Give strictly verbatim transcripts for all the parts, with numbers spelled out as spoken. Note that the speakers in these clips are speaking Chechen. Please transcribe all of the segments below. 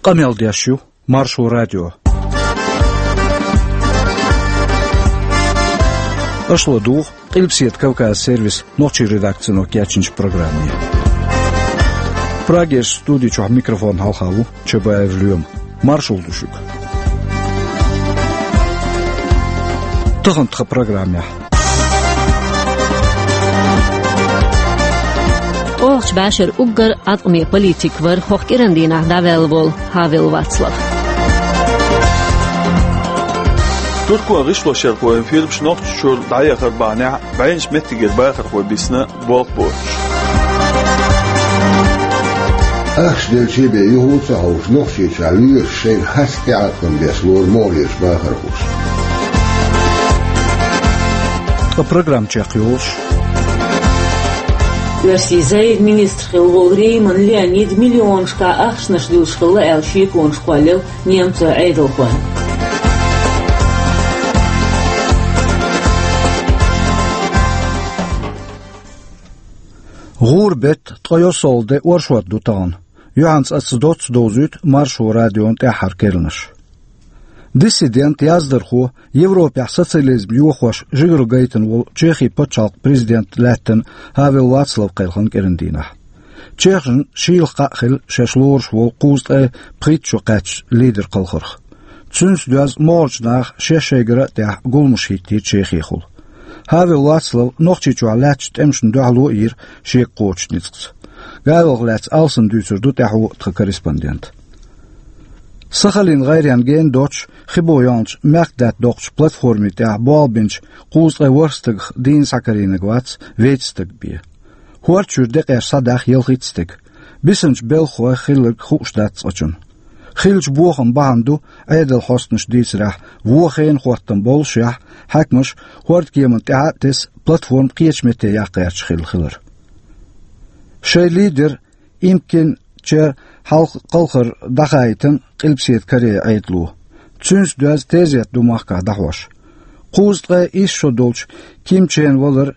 Къамел деш ю Маршо радио. Аша ладугӀу Къилбаседа Кавказан сервисан нохчийн редакцино кечйинчу программе. Прагерчу студи чохь микрофонна хьалха ву Чабаев Лоьма. Маршалла ду шуьга. Тахана тхан программехь. ТӀехьарчу бӀешеран уггар Ӏаткъаме политик вара хӀокху кӀиран дийнахь дӀаваьлла волу Хавел Вацлав. Туркойн гӀишлошъярхойн фирмаш Нохчийчуьра дӀаяхар бахьанехь, бӀеннаш меттигера бахархой бисна болх боцуш. Ахча делчий бен юха а ца хьовсуш, Нохчийчохь лоьраш шайна хаза тӀеӀаткъам беш лору могӀарерчу бахархоша. Ткъа программа чекхйолуш. Оьрсийн зайга министр хилла волу Рейман Леонид миллионашкахь ахчанаш дуьллуш хилла аьлла шеконаш кхоллаелла немцойн Ӏедалхойн. ГӀуран беттан ткъе йоьссалгӀа де оршот ду тахана. Юьхьанца аса доцца довзуьйту Маршо радион тӀаьххьара керланаш. Диссидент, яздархо, Европехь социализм йохош жигаргайтина волу Чехин пачхьалкхан президент лаьттина Хавел Вацлав кхелхина кӀиран дийнахь. Чехашна шийла кхаъ хилла шаьш лоруш волу кхузткъе пхийтта шо кхаьчча лидер кхалхарх. Цуьнца доьзна могӀарчу наха шаьш шайгара а тӀехь гуламаш хӀиттийра Чехехула. Хавел Вацлав Нохчийчохь лаьттачу тӀемашна дуьхьало а йира шега кхочучу ницкъаца. Гавелах лаьцна алсам дуьйцур ду тӀаьхьо тхан корреспондент. Сахалин гӀайренна гена доцуш, хи бо йолчу мехкдаьтта доккхучу платформи тӀехь болх бинчу кхузткъе ворхӀ стагах дийна схьакарийнарг вац вейтта стаг бен. ХӀорда чуьра декъеш схьадаьхна ялхитта стаг. Бисинчу белхахой хилларг хууш дац цкъачунна. Хиллачу бохаман бахьана ду, Ӏедалан хьостанаша дийцарехь, вон хенан хӀоттам боллушехь, хьаькамаша хӀордкеманна тӀаьхьа а тесна, платформа кхечу метте яккха гӀерташ хилла хилар. Шайн лидер Им Ким Чен хьалха кхалхар дӀахаийтина Къилбаседа Корейн Ӏедало. Цуьнца доьзна тезет ду махкахь дӀахьош. Кхузткъе исс шо долчу Ким Чен валар,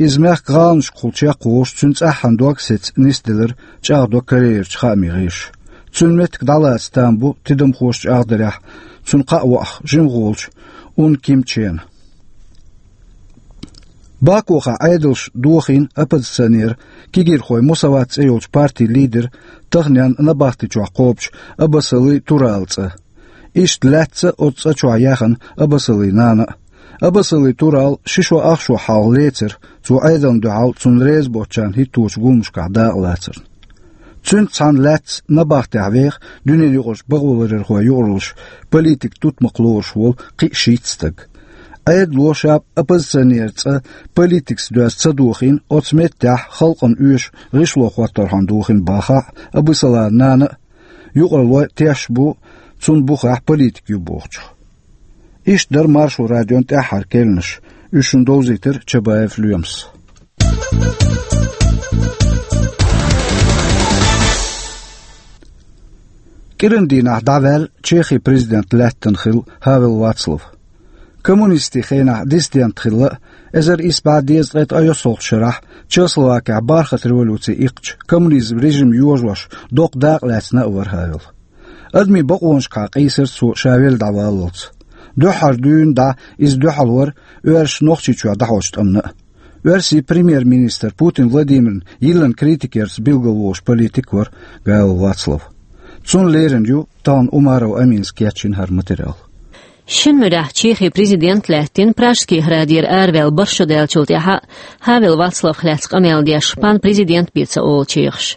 иза мехкан гӀаланашкахула чекхволуш, цуьнан цӀаххьана дог а сецна нисделира чӀагӀдо Корейрчу хаамийн гӀирсаша. Цуьнан меттиг дӀалаца там бу, тидамхоша чӀагӀдарехь, цунна кхаъ ваахь жимахволчу Ун Ким Чена. Бакухахь Ӏедалша дохийна оппозиционер, кегийрхой Мусават цӀе йолчу партин лидер, таханлерчу набахтечохь кхобучу Абасалин Туралан цӀа. Иштта лаьцна оцу цӀа чохь яьхна Абасалин нана а. Абасалин Турал ши шо ах шо хьалха лецира, цо Ӏедална дуьхьал цунна реза боцучарна хӀитточу гуламашкахь дакъалацарна. Цуьнца цхьаьна лаьцна набахтехь веха дуьненаюкъарчу бакъоларъярхойн юкъараллаш политикан тутмакх лоруш волу кхин а шийтта стаг. Ӏедало ша оппозиционеран цӀа политикаца доьзна ца дохийна, оцу меттехь халкъана оьшу гӀишло хӀотторхьама дохийна бахахь а, Абасалин нана а, юкъараллой тешаш бу цунна бухахь политик ю бохучух. Иштта дара Маршо радион тӀаьххьара керланаш. Уьш шуна довзийтира Чабаев Лоьмас. КӀиран дийнахь дӀаваьлла Чехин президент лаьттина хилла Хавел Вацлав. Коммунистийн хенахь диссидент хилла а, эзар исс бӀе дезткъе ткъе йоьссалгӀачу шарахь Чехословакехь бархӀалгӀа революци иккхича, коммунизман режим йожош, доккха дакъа лаьцна а вара Хавел. Адамийн бакъонашкахьа къийсира цо ша велла дӀаваллалц. Дуьххьара дуьйна дӀа иза дуьхьал вара оьрсаша Нохчийчохь дӀахьочу тӀамна а. Оьрсийн премьер-министр Путин Владимирна йиллина критикерца билгалволуш политик вара Хавел Вацлав. Цунна лерина ю тахана Умаров Аминас кечйина хӀара материал. Шина муьрехь Чехин президент лаьттина Пражский градера араваьлла бархӀ шо даьллачул тӀаьхьа Хавел Вацлавах лаьцна къамел деш пан президент бен ца олу чехаша.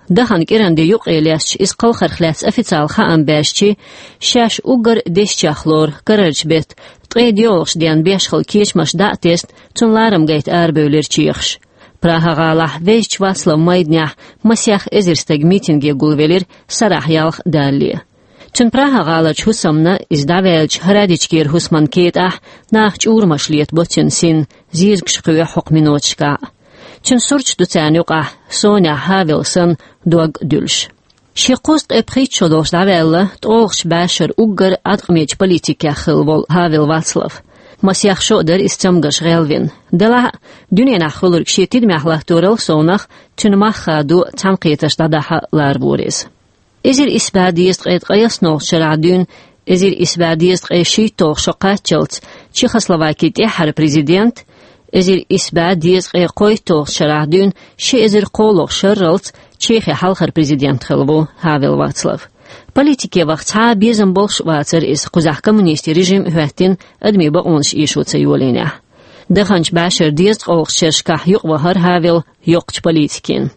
Дахана кӀиран де юккъе лесташ, иза кхалхарх лаьцна официалан хаам баьшчи, шаьш уггар дезачех лору карарчу беттан ткъе доьалгӀачу денна беш хилла кечамаш дӀа а тесна, цунна ларам гайта арабевлира чехаш. Прага-гӀалахь Везачу Вацлаван майданехь масех эзар стаг митинге гулвелира, сарахь ялх далале. Цуьнан Прага-гӀаларчу хӀусамна, иза дӀаваьллачу Радечкера хӀусаман кетӀахь, наха чӀурамаш летабо цуьнан синна, зезагаш кхоьхьу хӀокху миноташкахь. Цуьнан сурташ ду царна юкъахь, сонехь Хавел санна, дог а дуьллуш. Шен кхузткъе пхийтта шо долуш дӀаваьлла, ткъолгӀачу бӀешеран уггар Ӏаткъамечу политикех хилла волу Хавел Вацлав. Масех шо а дара иза цамгарш гӀелвина. Делахь а, дуьненахь хуьлург шен тидамехь латторал совнах, цуьнан мах хадо цхьаьнакхетарш дӀадахьа ларвора иза. Эзар исс бӀаь дезткъе ткъайоьсналгӀача шарахь дуьйна эзар исс бӀаь дезткъе шийтталгӀа шо кхаччалц Чехословакин тӀаьххьара президент, эзар исс бӀаь дезткъе кхойтталгӀача шарахь дуьйна ши эзар кхоалгӀа шарралц Чехин хьалхара президент хилла ву Хавел Вацлав. Политике ваха цхьа а безам болуш а вацара иза, кхузахь коммунистийн режим а хӀоьттина, адамийн бакъонаш эшо ца йолийнехь. Даханчу бӀешеран дезткъалгӀачу шерашкахь юкъавахара Хавел йоккхачу политикина.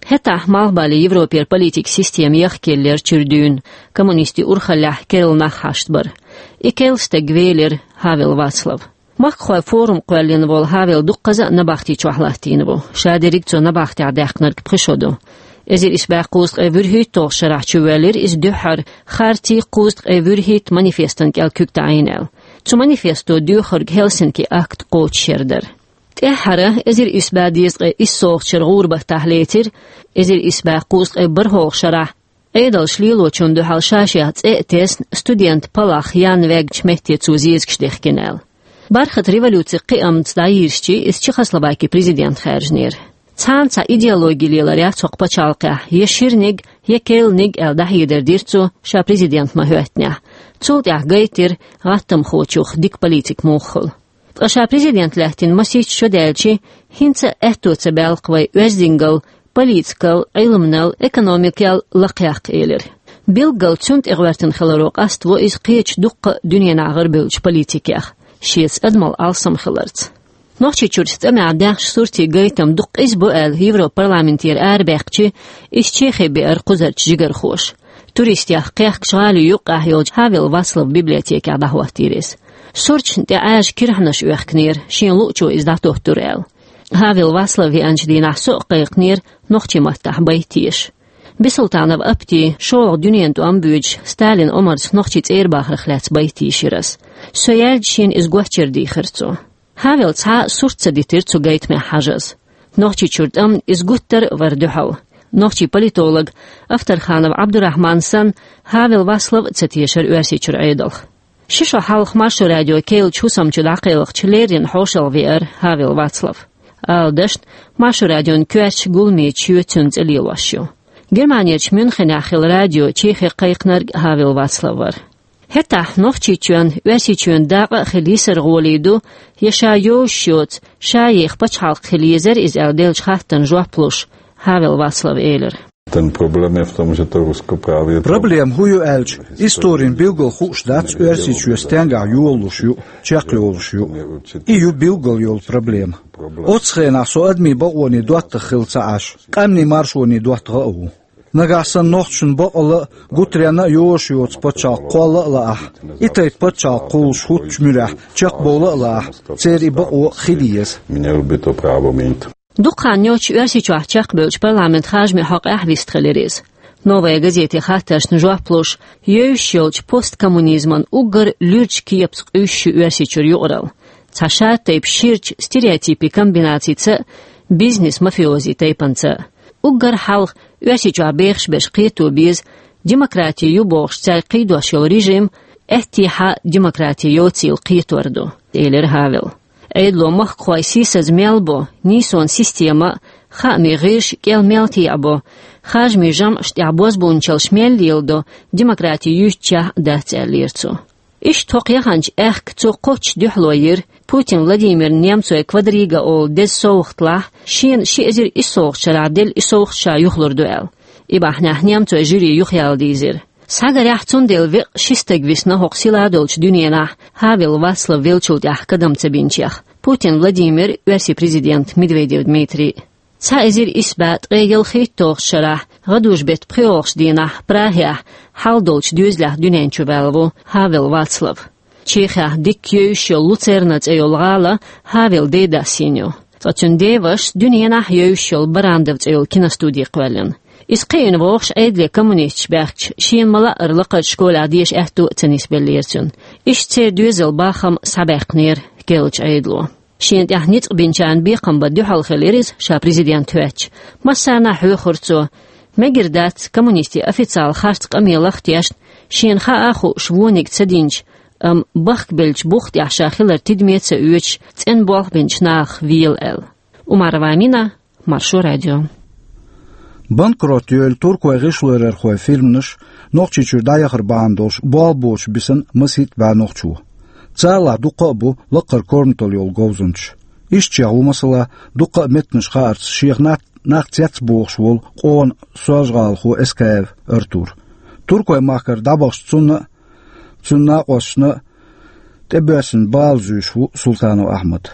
ХӀетахь Малхбален Европера политикан система яхкаеллера чуьра дуьйна, коммунистийн урхаллехь керла нах хьашт бара. И керла стаг велира Хавел Вацлав. Махкахойн форум кхоьллина волу Хавел дуккхаза а набахти чохь латтийна ву. Ша дерриг цо набахтехь даьккхинарг пхи шо ду. Эзар исс бӀаь кхузткъе вуьрхӀитталгӀачу шарахь чувоьллира иза дуьххьара «Харти кхузткъе вуьрхӀитта» манифестана кӀел куьг таӀийна аьлла. Цу манифесто доьхург Хельсинки акт кхочушъяр дара. ТӀаьххьара, эзар исс бӀаь дезткъе иссалгӀачу шеран гӀуран баттахь лецира, эзар исс бӀаь кхузткъе бархӀалгӀачу шарахь Ӏедалша лелочунна дуьхьал ша-шех цӀе а тесна, студентан палах Ян Вегачу метте цо зезагаш дехкина аьлла. Бархатан революцин кхиамца дӀайирзича, иза Чехословакин президент хаьржинера. Цхьана цхьа идеологи леларехь цхьа пачхьалкхехь, я ширниг, я керланиг аьлла дӀахьедар дира цо, ша президент ма хӀоьттинехь. Цул тӀаьхьа гайтира гӀаттамхочух дика политик муха хуьлу. Ткъа ша президент лаьттина масийтта шо даьлча, хӀинца а аьтто ца баьлла-кх вай оьздангалла, политикал, Ӏилманал, экономикал лакхъяккха, элира. Билггал цунна тӀе гӀоьртина хиларо къаставо иза кхечу дуккха а дуьненахь гӀарабевллачу политикех, шеца адамал алсам хиларца. Нохчийчуьра цӀа мегӀ даьхначу суртийн гайтам дукха къиза бу аьлла, Европарламентера арабаьккхича, иза Чехе беара кхузарчу жигархоша. Туристех кхехкачу гӀалин юккъехь йолчу Хавел Вацлавн библиотекехь дӀахӀоттийра иза. Сурташна тӀе Ӏаьржа кирхьанаш оьхкинера, шена луучо иза дӀатоттура аьлла. Хавел Вацлав веанчу дийнахь со а кхайкхинера нохчийн маттахь байт еша. Бисултанов Апти, шолгӀа дуьненан тӀом боьдуш, Сталин омарца нохчийн цӀера бахарх лаьцна байт йийшира ас. Со яьлча, шена иза гочдара дийхира цо. Хавел цхьа а сурт ца дитира цу гайтамехь хьажаза. Нохчийчуьра тӀамна иза гуттар а вара дуьхьал. Нохчийн политолог Авторханов Ӏабдурахьман санна, Хавел Вацлав а ца тешара Оьрсийчуьра Ӏедалх. Ши шо хьалха Маршо радион керлачу хӀусам чу дӀакхелхича, леррина хьошалгӀа веара Хавел Вацлав. Ала дашна, Маршо радион коьртачу гуламечу шоьца цуьнан цӀе лелош ю. Германерчу Мюнхенехь хилла радио Чехе кхайкхинарг Хавел Вацлав вара. ХӀетахь Нохчийчоьнан, Оьрсийчоьнан дакъа а хила йисар гӀоле ду, я ша йовзаш йоцу, ша еха пачхьалкх хила езара иза аьлла деллачу хаттарна жоп луш, Хавел Вацлава элира. Проблема хӀун ю аьлча, историн билггал хууш дац Оьрсийчоь стенгахь йолалуш ю, чекхйолуш ю. И ю билггал йолу проблема. Оццу хенахь со адамийн бакъонийн доттагӀа хилла ца Ӏаш, къаьмнийн маршонийн доттагӀа а ву. Нагахь санна нохчашна бакъалла а, гуттаренна а йозуш йоцу пачхьалкх кхолла а лаахь, и тайпа пачхьалкх кхуллуш хӀуттучу муьрехь чекхбовла а лаахь, церан и бакъо хила еза. Дукха хан йоццуш Оьрсийчохь чекхбевллачу парламентан харжамийн хьокъехь вистхилира иза. «Новая газетин» хаттаршна жоп луш, евзаш йолчу посткоммунизман уггар луьрачу кепаца къуьйсуш ю Оьрсийчуьра юкъаралла. Цхьа шатайпа ширачу стереотипийн комбинацица а, бизнес-мафиози тайпанца а. Уггар хьалха Оьрсийчохь бехаш берш кхето беза, демократи ю бохуш цаьрга кхийдош йолу режим, аьттехьа демократи йоцийла кхетор ду, элира Хавела. Ӏедало махкахой сийсаза мел бо, нийсонан система а, хаамийн гӀирс а кӀел мел теӀабо, харжамийн жамӀаш тӀехь бозбуунчаллаш мел леладо, демократи юьйцучехь а дац, аьллера цо. Иштта хӀокху яханчу аьхка цо кхоччуш дуьхьало йира, Путин Владимирна немцойн «Квадрига» олу деза совгӀат лахь, шена ши эзар иссалгӀачу шарахь делла и совгӀат ша юхалур ду аьлла. И бахьанехь немцойн жюри юхаяла дийзира. Схьагарехь, цундела векъа ши стаг висна хӀокху силадолчу дуьненахь, Хавела Вацлав веллачул тӀаьхьа кадам ца бинчех: Путин Владимир, оьрсийн президент Медведев Дмитрий. Цхьа эзар исс бӀе ткъе ялхитталгӀачу шарахь, гӀадужу-беттан пхоьалгӀачу дийнахь, Прагехь, хьал долчу доьзалехь дуьнен чу ваьлла ву Хавела Вацлав. Чехехь дикка евзаш йолу Луцерна цӀе йолу гӀала Хавела ден дас йина ю. Ткъа цуьнан деваша дуьненахь евзаш йолу Барандов цӀе йолу киностуди кхоьллина. Иза кхиийна вогӀуш Ӏедале коммунисташ баьхкича, шена ма-лаъара лакхарчу школехь деша аьтту а ца нисбеллера цуьнан. Иштта церан доьзалан бахам схьабаьккхинера керлачу Ӏедало. Шена тӀехь ницкъ бинчарна бекхам бан дуьхьал хилира иза, ша президент хӀоьттича. Массарна а хьоьхура цо. Мегар дац, коммунистийн официалан харц къамелах а тешна, шена хаа а хууш вониг ца динчу, амма бахкабеллачу бух тӀехь ша хилар тидаме а ца оьцуш, цӀена болх бинчу нахах вела аьлла. Умарова Амина, Маршо радио. Банкрот йолу туркойн гӀишлоръярхойн фирманаш Нохчийчуьра дӀаяхар бахьана долуш болх боцуш бисина масийтта бӀе нохчо. Царах дуккха а бу лакхара корматалла йолу говзанчаш. Ишттачех ву, масала, дуккха а меттанаш хаарца шех нах, нах цецбохуш волу къона соржагӀалахо Эскаев Артур. Туркойн махкара дӀабахча цунна а, цуьнан накъосташна а тӀебоьссина бала зуьйш ву Султанов Ахьмад.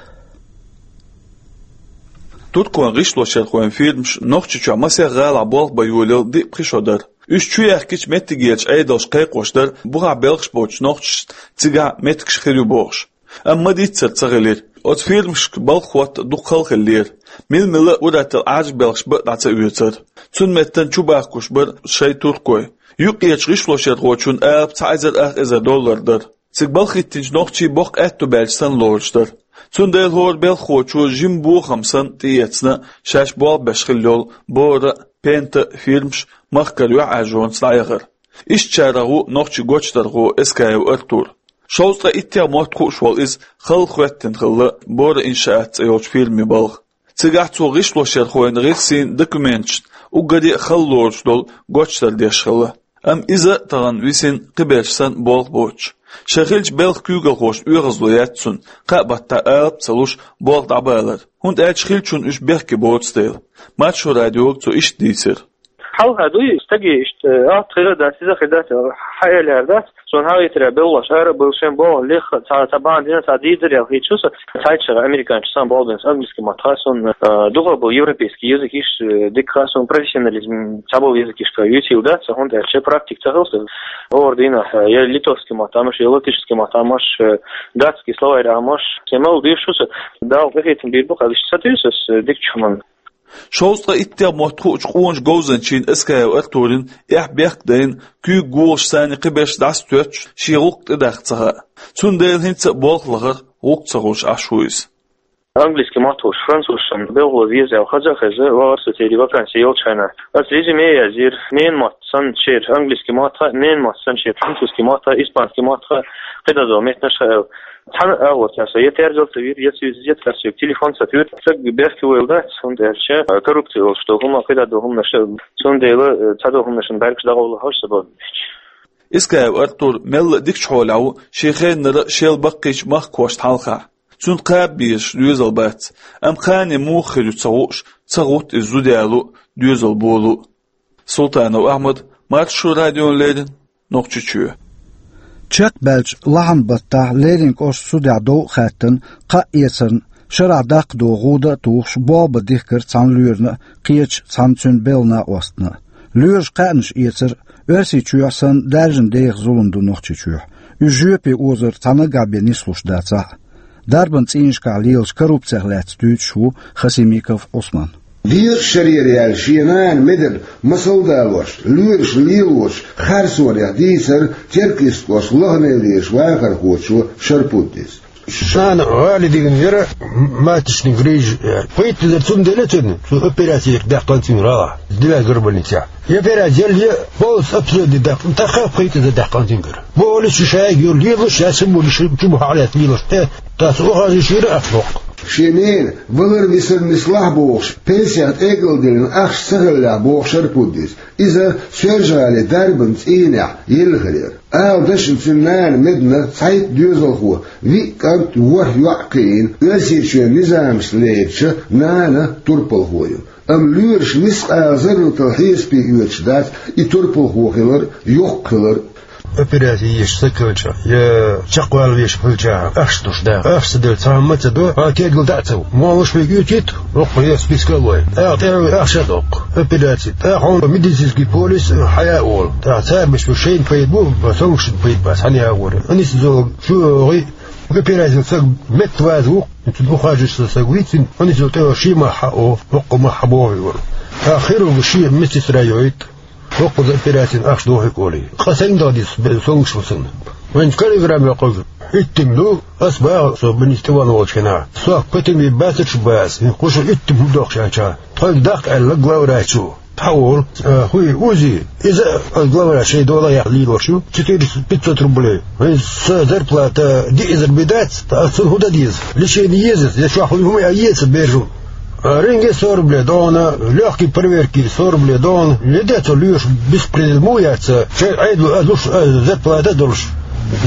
Туркойн гӀишлошъярхойн фирмаш Нохчийчохь масех гӀалахь болх бан йолаелла диъ-пхи шо дара. Уьш чу яьхкича меттигерчу Ӏедалша кхайкхош дара, бухахь белхаш боцучу нохчашна цигахь меттигаш хир ю бохуш. Амма ма-дийццара ца хилира. Оцу фирмашка балха хӀотта дукха хала хиллера. Мила-мила а ур-атталла Ӏаьржа белхаш бан а дӀа ца оьцура. Цунна меттана чу бахкуш бара шайн туркой. Юккъерчу гӀишлошъярхочун алапа цхьа эзар ах эзар доллар дара. Цига балха хӀиттинчу нохчий боккха аьтту баьлча санна лоруш дара. Цундела хӀора белхахочо жима бохам санна тӀеэцна шаьш болх беш хилла йолу бора а, пента а фирмаш махкара юьхьӀаьржонца дӀаяхар. Ишттачарах ву нохчийн гочдархо Эскаев Артур. Шовзткъе иттех мотт хууш волу иза хала хӀоьттина хилла бора иншаат цӀе йолчу фирмин балха. Цигахь цо гӀишлошъярхойн гӀирсийн документашна уггаре а хала лоруш долу гочдар деш хилла. Амма иза а тахана висина кхиберш санна болх боцуш. Шайн хиллачу белхан куьйгалхошна оьгӀазло яц цунна, кхаа баттахь алапа ца луш, болх дӀабалар, хӀунда аьлча хиллачунна уьш бехке боцу дела. Маршо радиога цо иштта дийцира. Хьалха дуй, стаге иштта, э, атта хир дац, иза хир дац, хьаэлаяр дац. Сон хьагӀийтарехь белхалоша ара а бевлла, шайн бохам леха, цхьа, цхьа бахьана дина, цхьа дийцарехь хилча, цхьайттачех американцаша сан болх бина, английский мотт хаьа суна, э, дукхах болу европейский языкаш, э, дика хаьа суна, профессионализм, цхьаболу языкашкахь юьйцийла дац, хӀунда аьлча практика ца хилла сан. ХӀора дийнахь, э, я литовский мотт Ӏамош, я латышский мотт Ӏамош, э, датский словарь Ӏамош, сан мел дийш ву сан, Дала къинхетам бийр бу, къа вист ца туьйсу ас, э, дикачу хӀуманна. Шовзткъе иттех мотт хуучу къоначу говзанчийн Эскаев Артуран эхь-бехк дайна, куьйга гулуш санна кхиберш дӀасатоьттуш, шен гӀуллакх тӀедаккха ца хаьа. Цундела хӀинца а болх лахар гӀуллакх ца хуьлуш Ӏаш ву иза. Английский мотт хуьлуш, французашна белхало веза аьлла хаза а хезна, вахара со церан ваканси йолчу хенахь. Ас резюме язйира, ненан мотт санна шера английский мотт хаьа, ненан мотт санна шера французский мотт хаьа, испанский мотт хаьа, кхидӀа долу меттанаш хаьа аьлла. Цхьана а агӀор цара со я терзар ца вира, я цуьнца, я цара соьга телефон ца туьйра. Стаг бехке войла дац, хӀунда аьлча коррупци йолуш долу хӀума, кхидӀа долу хӀуманаш. Цундела, э, цхьадолу хӀуманашна бӀаьргаш дӀагӀовла хьожуш ца боху. Эскаев Артур мелла а дикачу хьолехь ву шен хеннара шел баккхийчу махкахошна хьалха. Цунна кхаба безаш доьзал бац, амма кхане муха хир ю ца хууш, ца гӀутту иза зуда яло а, доьзал боло а. Султанов Ахьмад, Маршо радиона леррина, Нохчийчоь. Чекхбаьллачу лахьан баттахь Лерин кӀоштан судехь дов а хаьттина, кхаъ эцарна шарахь даккха догӀу гӀуда а тухуш, болх бан дихкира цхьана лоьрана а, кхечу цхьана цуьнан белхан накъостана а. Лоьраша кхаьънаш эцар, Оьрсийчохь санна даьржина деха зулам ду Нохчийчохь. Уьш жоьпе озар цхьа наггахь бен нислуш дацахь а. Дарбан цӀийнашкахь лелачу коррупцех лаьцна дуьйцуш ву Хасимиков Ӏусман. Дезткъа шарера яьлла шен нана медар масал далош, лоьраша лелочу харцонех дийцира Теркйистан кӀоштан Лаханевлерчу вахархочо Шарпуддис. Нана гӀали дигна яра, маточный грыжа яра. Пхийтта эзар цунна делла цунна, цу операци даьккхина цуьнан гӀалахь, девятая горбольницехь. И операци делла, полностью обследовать даьккхина, тӀаккха пхийтта эзар даьккхина цуьнгара. Бохуш шу шайга йолу лелош, я шу бу, шу чу бу хьалаэцна лелош. Э, тӀаккха охажа йира ах боккху. Шен нена валар висар нислахь бохуш, пенсех тӀекӀалдиллина ахча ца хиллехь боху Шарпуддис. Иза Соьлжа-ГӀалин дарбан цӀийнехь елла хир яра. Ала дашна цуьнан нана медна цхьайтта доьзалхо, виъ кӀант, ворхӀ йоӀ кхиийна, Оьрсийчоьнан низамашца лерича нана турпалхо ю. Амма лоьраша мискъала зарратал хьесапе оьцуш дац и турпалхо хилар, йоккха хилар. Операци еш ца хилча, я чекхвала веш хилча, ахча долуш да. Ахча ца делча, цхьа хӀума ца до, хьан тергал дӀа а ца ву. Молуш вега оьцийта, воккха я списка а лой. ТӀаккха тӀе ахча а доккху. Операци. ТӀаккха хьуна медицинский полис хьая а волу. ТӀаккха цара беш бу шайна пайда бу, сонгашна пайда бац, хьан ягӀора. Анисизол чу гӀи, операци ца метта ваза ву, цуьнан ухаживаеш стаг вийцина, анисизол тӀе ши мах хьао, воккха мах хьабоху вара. ТӀаккха хир ву ши медсестра йойта. Воккхаза операцин ахча дохуьйту олий. Къа сайна даха деза, бе-, сонгаш ву санна. Вайн каллиграмма йоккхуш, хӀиттина ду, ас баха, со больница тӀе ван волчу хенахь. Со котами бацарш бац, кхушу хӀиттина хӀума доккхуш аьлча. Тхойга даккха аьлла главврачо. Тхьа волу, а, хуй, УЗИ. Иза а главврач шайн дола яхь лелош ю. Четыреста пятьсот рублей. Вайн сан зарплата диъ эзар бен дац, ас цунна хӀун дан деза? Лечение еза, я чохь хуй хӀума а еца бержу. Рентген сорбле дона, лёгкий проверки сорбле дона, леде цо луьйш беспредел му яц, че айду а душ, а зарплата долш.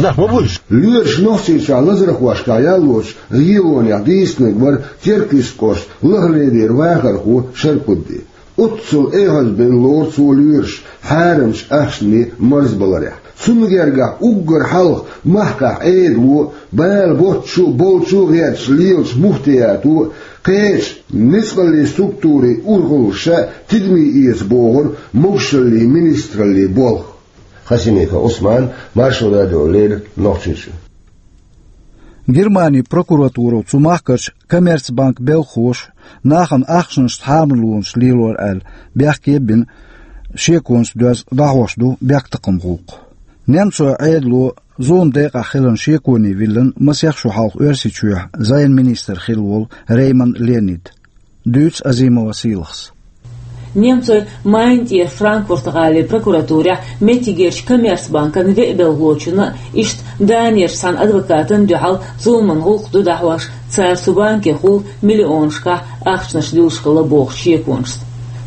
Нах ма буйш. Луьйш нохчийча лазархошка яллоч, регионех дийснаг вар Теркис кошт лахледер вахарху шарпудди. Оццул эхьазбен лорцо луьйш, хьарамч ахчни марзбаларех. Цунна гергахь уггар хьалха махкахь Ӏедало, бала боцчу, болчу гӀерташ лелаш муфтиято, кхеча ницкъалли структури урхаллаша тидами эца бохура могушалли министралли болх. Хасимиков Усман, Маршо радио, леррина Нохчийчу. Германин прокуратуро цу махкарчу Коммерцбанк белхахоша нахана ахчанаш хьамарлонаш лелор аьлла бехке а бина, шеконца доьзна дӀахьош ду бехктакхаман гӀуллакх. Немцойн Ӏедало зулам декъахь хиларна шеконе виллина масех шо хьалха Оьрсийчохь зӀенан министр хилла волу Рейман Леонид. Дуьйцу Азимова Сийлахьас. Немцойн Майна тӀера Франкфурт-гӀалин прокуратурехь меттигерчу Коммерцбанкан веа белхалочунна а, иштта Данерчу цхьана адвокатана а дуьхьал зуламан гӀуллакх ду дӀахьош, цара цу банкехула миллионашкахь ахчанаш дуьллуш хилла бохучу шеконашца.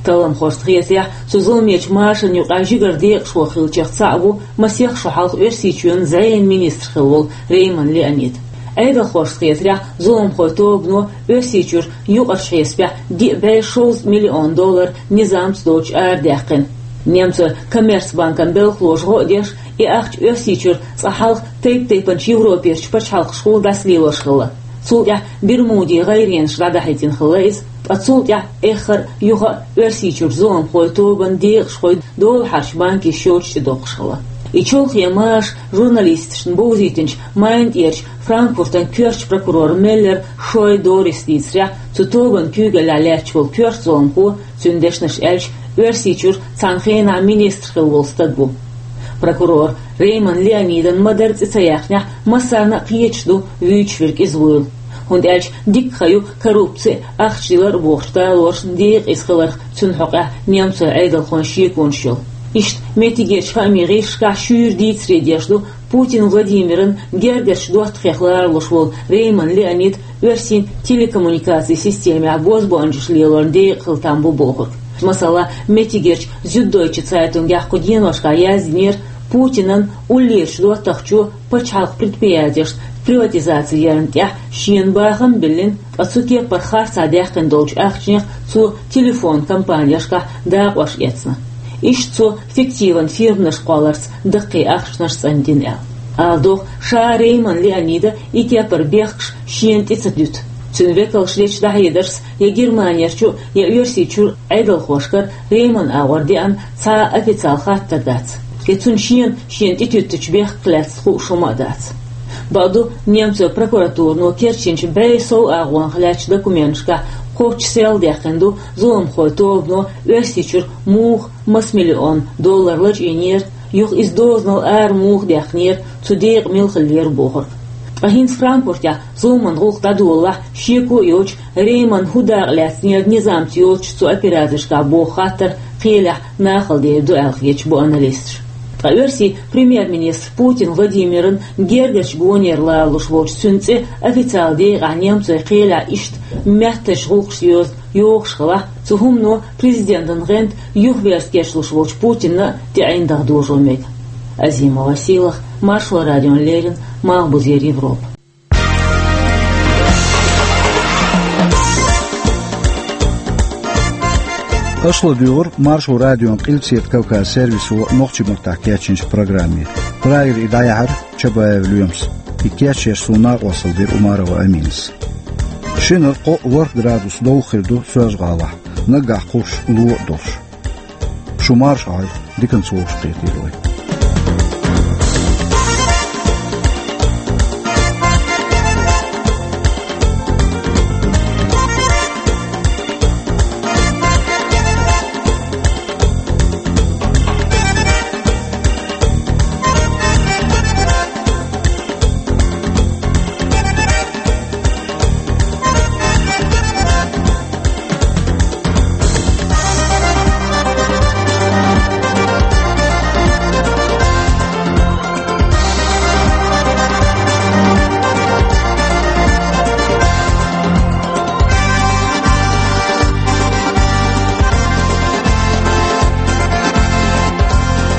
Талламхошна хетарехь, цу зуламечу машанан юкъахь жигара декъашхо хиллачех цхьаъ ву масех шо хьалха Оьрсийчоьнан зӀенан министр хилла волу Рейман Леонид. Ӏедалхошна хетарехь, зуламхойн тобано Оьрсийчуьра юкъарчу хьесапехь диъ бӀе шовзткъа миллион доллар низамца доцуш арадаьккхина. Немцойн Коммерцбанкан белхалоша гӀо а деш, и ахча Оьрсийчуьра цкъа хьалха тайп-тайпанчу Европерчу пачхьалкхашкахула дӀасалелош хилла. Цул тӀаьхьа Бермудийн гӀайренаш дӀадахьийтина хилла иза, ткъа цул тӀаьхьа эххар а, юха а Оьрсийчуьра зуламхойн тобанан декъашхой долахьарчу банкийн счёташ тӀе доккхуш хилла. И чолхе маша журналисташна бовзийтинчу Майна тӀерачу Франкфуртан коьртачу прокурора Меллер Шой Дорис дийцарехь, цу тобанан куьйгаллехь лаьтташ волу коьрта зуламхо, цуьнан дешнаш аьлча, Оьрсийчуьра цхьана хенахь министр хилла волу стаг ву. Прокурора Рейман Леонидан ма-дарра цӀе ца яьккхинехь, массарна а кхеташ ду вуьйцуш верг иза вуйла. ХӀунда аьлча дикка хан ю коррупци а, ахча дилар а бохучу талоршна декъаза хиларх цуьнан хьокъехь немцойн Ӏедалхойн шеконаш йолу. Иштта меттигерчу хаамийн гӀирсашкахь шуьйра дийцаре деш ду Путин Владимиран гергарчу доттагӀех ларалуш волу Рейман Леонид оьрсийн телекоммуникацийн системехь бозбуунчаша лелорна декъахь хила там бу бохург. Масала, меттигерчу Зюддойче Цайтунгехь кху деношкахь яздинера, Путинан уллерачу доттагӀчо пачхьалкхан предприятешна приватизаци ярна тӀехь шена бахам а биллина, ткъа цу кепара харцахь даьккхина долчу ахчанех цо телефон компанешкахь дакъош эцна. Иштта цо фиктиван фирманаш кхолларца даккхий ахчанаш цӀандина аьлла. Ала догӀу, ша Рейман Леонида и кепара бехкаш шена тӀе ца дуьту. Цуьнан векалша дечу дӀахьедаршца я Германерчу, я Оьрсийчуьра Ӏедалхошкара Рейман агӀор деана цхьа а официал хаттар дац. Я цунна шена, шена тӀетуьттучу бехках лаьцна хууш хӀума а дац. Бакъду, немцойн прокуратурано керчинчу бӀе сов агӀонах лаьттачу документашкахь кхоччуш селла даьккхина ду зуламхойн тобано Оьрсийчуьра муха маса миллион доллар лачкъийнера, юха иза дозанал ара муха даьккхинера, цу декъа мила хиллера бохург. Ткъа хӀинца Франкфуртехь зуламан гӀуллакх дӀадолалахь, шеко а йоцуш, Рейман хӀун дакъа лаьцнера низамца йоцуш цу операцешкахь боху хаттар кхелехь нахала дер ду аьлла хеташ бу аналисташ. Ткъа оьрсийн премьер-министр Путин Владимиран гергарчу гонера ларалуш волчу цуьнан цӀе официал декъахь немцойн кхелехь иштта меттанаш гӀуллакхаш йоза йохуш хилахь, цу хӀумано президентан гӀанта юхаверза кечлуш волчу Путинна а тӀеӀиндагӀа дожо мега. Азимова Сийлахь, Маршо радиона леррина, Малхбузера Европа. Аша ладуьйгӀира Маршо радион Къилбаседа Кавказан сервисо нохчийн маттахь кечйинчу программе. Прагера и дӀаяьхьира Чабаев Лоьмас, и кечъеш суна накъосталла дира Умарова Аминас. Шинара кхоъ-ворхӀ градус довха хир ду Соьлжа-ГӀалахь, наггахь кхуссуш ло а долуш. Шу марша Ӏойла, диканца вовшахкхетийла вай.